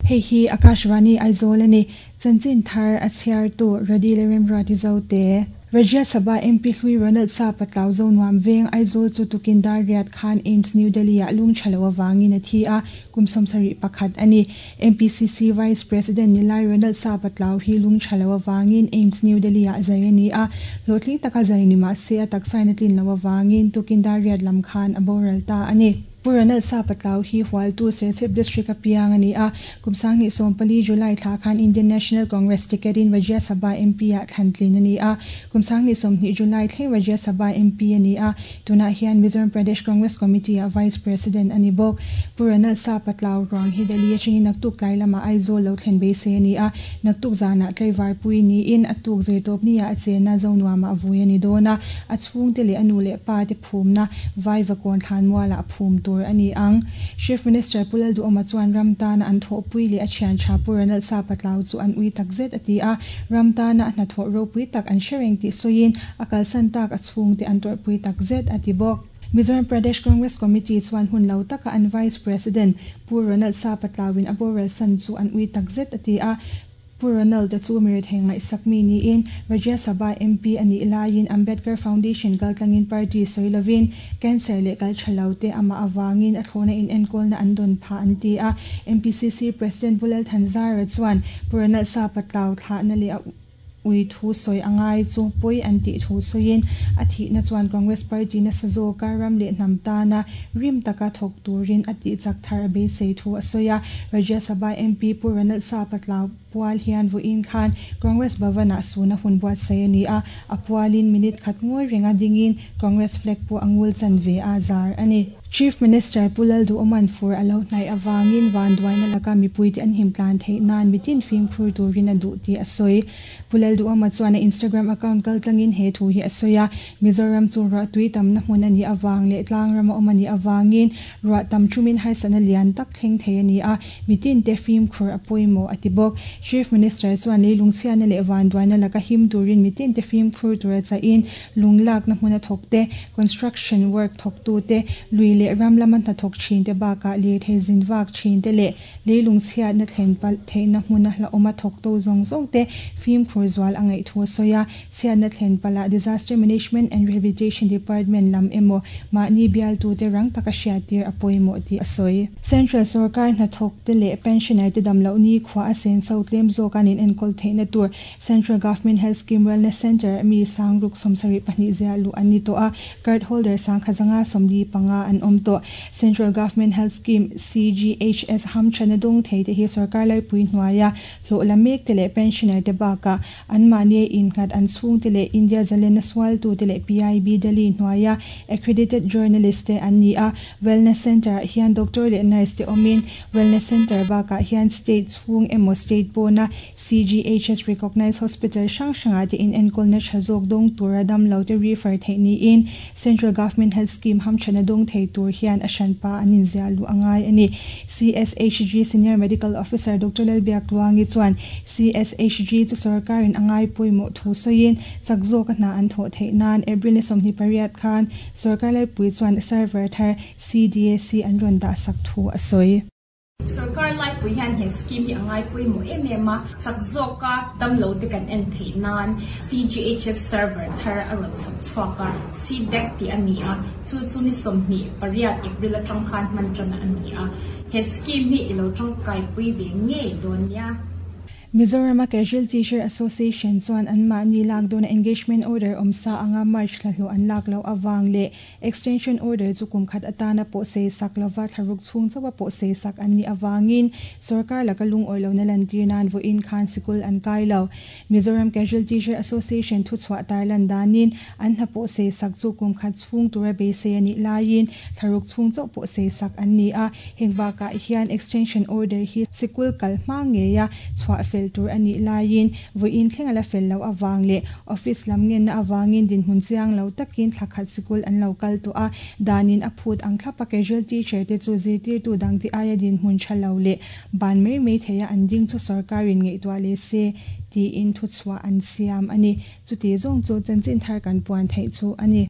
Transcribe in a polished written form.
Hei hi Akashvani Aizawl a ni. Chanchin thar a chhiartu Radi leh Remruati Zote. Rajya Sabha MP hlui Ronald Sapa tlau zo nuam veng Aizawl chu tukin dar riat khan AIIMS New Delhi ah lung tha lo avangin a thi a, kum 71 a ni. MPCC Vice President Nilai Ronald Sapa tlau hi lung tha lo avangin AIIMS New Delhi ah zai a ni a, hlawhtling taka zai ni mah se a taksain a tlin loh avangin tukin dar riat lam khan a boral ta a ni. Pu Ronald Sapa tlau hi Hualtu Serchhip District a piang a ni a, kum 2014 July thla khan Indian National Congress ticket in Rajya Sabha MP ah thlan tlin a ni a, kum 2020 July thleng Rajya Sabha MP a ni a, tunah hian Mizoram Pradesh Congress Committee ah Vice President a ni bawk. Pu Ronald Sapa tlau ruang hi Delhi atangin naktuk tlai lamah Aizawl lo thlen beisei a ni a, naktuk zanah tlaivar pui niin a tuk zirtawp ni ah a chenna Zonuamah vui a ni dawn a, a chhungte leh a nu leh pa te phumna Vaivakawn thlanmualah phum tur a ni ang. Chief Minister Pu Lalduhoma chuan ram tana an thawhpui leh a thian tha Pu Ronald Sapa tlau chu an ui takzet a ti a, ram tana a hnathawh ropui tak an hre reng tih sawiin a kalsan tak a chhungte an tawrhpui takzet a ti bawk. Mizoram Pradesh Congress Committee chuan hun lo taka an Vice President Pu Ronald Sapa tlauin a boral san chu an ui takzet a ti a, Pu Ronald te chu mi rethei ngaihsak mi niin Rajya Sabha MP a nih laiin Ambedkar Foundation kaltlangin party sawi lovin cancer leh kal tha lo te amah avangin a thlawhna inenkawlna an dawn phah an ti a. MPCC President Pu Lalthanzara chuan Pu Ronald Sapa tlau thlahna leh a ui thu sawi a ngai chu pawi an tih thu sawiin a thihna chuan Congress party nasa zawka ram leh hnam tana rim taka thawk turin a tih chak thar a beisei thu a sawi a. Rajya Sabha MP Pu Ronald Sapa tlau pual hian vawiin khan Congress Bhavan ah suna hun buatsaih a ni a, a pualin minute khat ngawi renga dingin Congress flag pawh a ngul chan ve a zar a ni. Chief Minister Pu Lalduhawman fur a lo hnaih avangin vanduaina laka mipuite an him tlan theih nan mitin fimkhur turin a duh tih a sawi. Pu Lalduhawma chuan a Instagram account kaltlangin he thu hi a sawi a, Mizoram chu ruah tui tamna hmun a nih avang leh tlangrama awm a nih avangin ruah tam thumin harsatna lian tak thleng thei a ni a, mitinte fimkhur a pawimawh a ti bawk. Chief Minister chuan leilung chhiatna leh vanduaina laka him turin mitinte fimkhur tura chahin lung lakna hmuna thawk te, construction work thawktu te, lui leh ram lama hnathawk thin te bakah lirthei zin vak thin te leh leilung chhiatna thlen palh theihna hmuna hlauhawma thawktu zawng zawng te fimkhur zual a ngaih thu a sawi a. Chhiatna thlen palhah Disaster Management and Rehabilitation Department lam emaw mahni bialtute rang taka hriattir a pawimawh tih a sawi. Central sorkar hnathawk te leh pensioner te damloh nikhua a senso tlem zawk an inenkawl theihna tur Central Government Health Scheme Wellness Centre mi 672 ziah luh an ni tawh a, card holder 1,145 an awm tawh. Central Government Health Scheme, CGHS, hamthana dawng thei te hi sorkar laipui hnuaia hlawh la mek te leh pensioner te bakah anmahni innghat an chhung te leh India zalenna sualtu te leh PIB Delhi hnuaia accredited journalist te an ni a. Wellness Centre ah hian doctor leh nurse te awmin Wellness Centre bakah hian state chhung emaw state pawna CGHS Recognised Hospital hrang hrangah te inenkawlna tha zawk dawng tura damlo te refer theih niin Central Government Health Scheme hamthana dawng thei tur hian a hranpa an inziah luh a ngai a ni. CSHG Senior Medical Officer Doctor Lalbiak Tluangi chuan CSHG chu sorkarin a ngai pawimawh thu sawiin chak zawka hna an thawh theih nan April ni 28 khan sorkar laipui chuan server thar CDAC an rawn dah sak thu a sawi. Sorkar laipui hian he scheme hi a ngai pawimawh em em a, chak zawka damlo te kan en theih nan CGHS server thar a rawn chhawp chhuak a, CDAC tih a ni a, chu chu ni 28 April atang khan hman tan a ni a, he scheme hi i lo tangkaipui ve ngei dawn nia. Mizoram a Casual Teacher Association chuan anmahni lak dawna engagement order awmsa anga March thlahlawh an lak loh avang leh Extension order chu kum khat atana pawh sei sak lova thlaruk chhung chauha pawh sei sak an nih avangin sorkar laka lungawi lohna lantir nan vawiin khan sikul an kai lo. Mizoram Casual Teacher Association thuchhuah tarlan danin an hna pawh sei sak chu kum khat chhung tura beisei a nih laiin thlaruk chhung chauh pawh sei sak an ni a. Heng bakah hian extension order hi sikul kal hma ngeia chhuah fel tur a nih laiin vawiin thleng a la fel loh avang leh office lam ngenna avangin dinhmun chiang lo takin thla khat sikul an lo kal tawh a, danin a phut ang thlapa casual teacher te chu zirtirtu dangte aia dinhmun tha lo leh ban mai mai theia an ding chu sorkarin ngaihtuah leh se tiin thuchhuah an siam a ni. Chuti zawng chu chanchin thar kan puan theih chu a ni.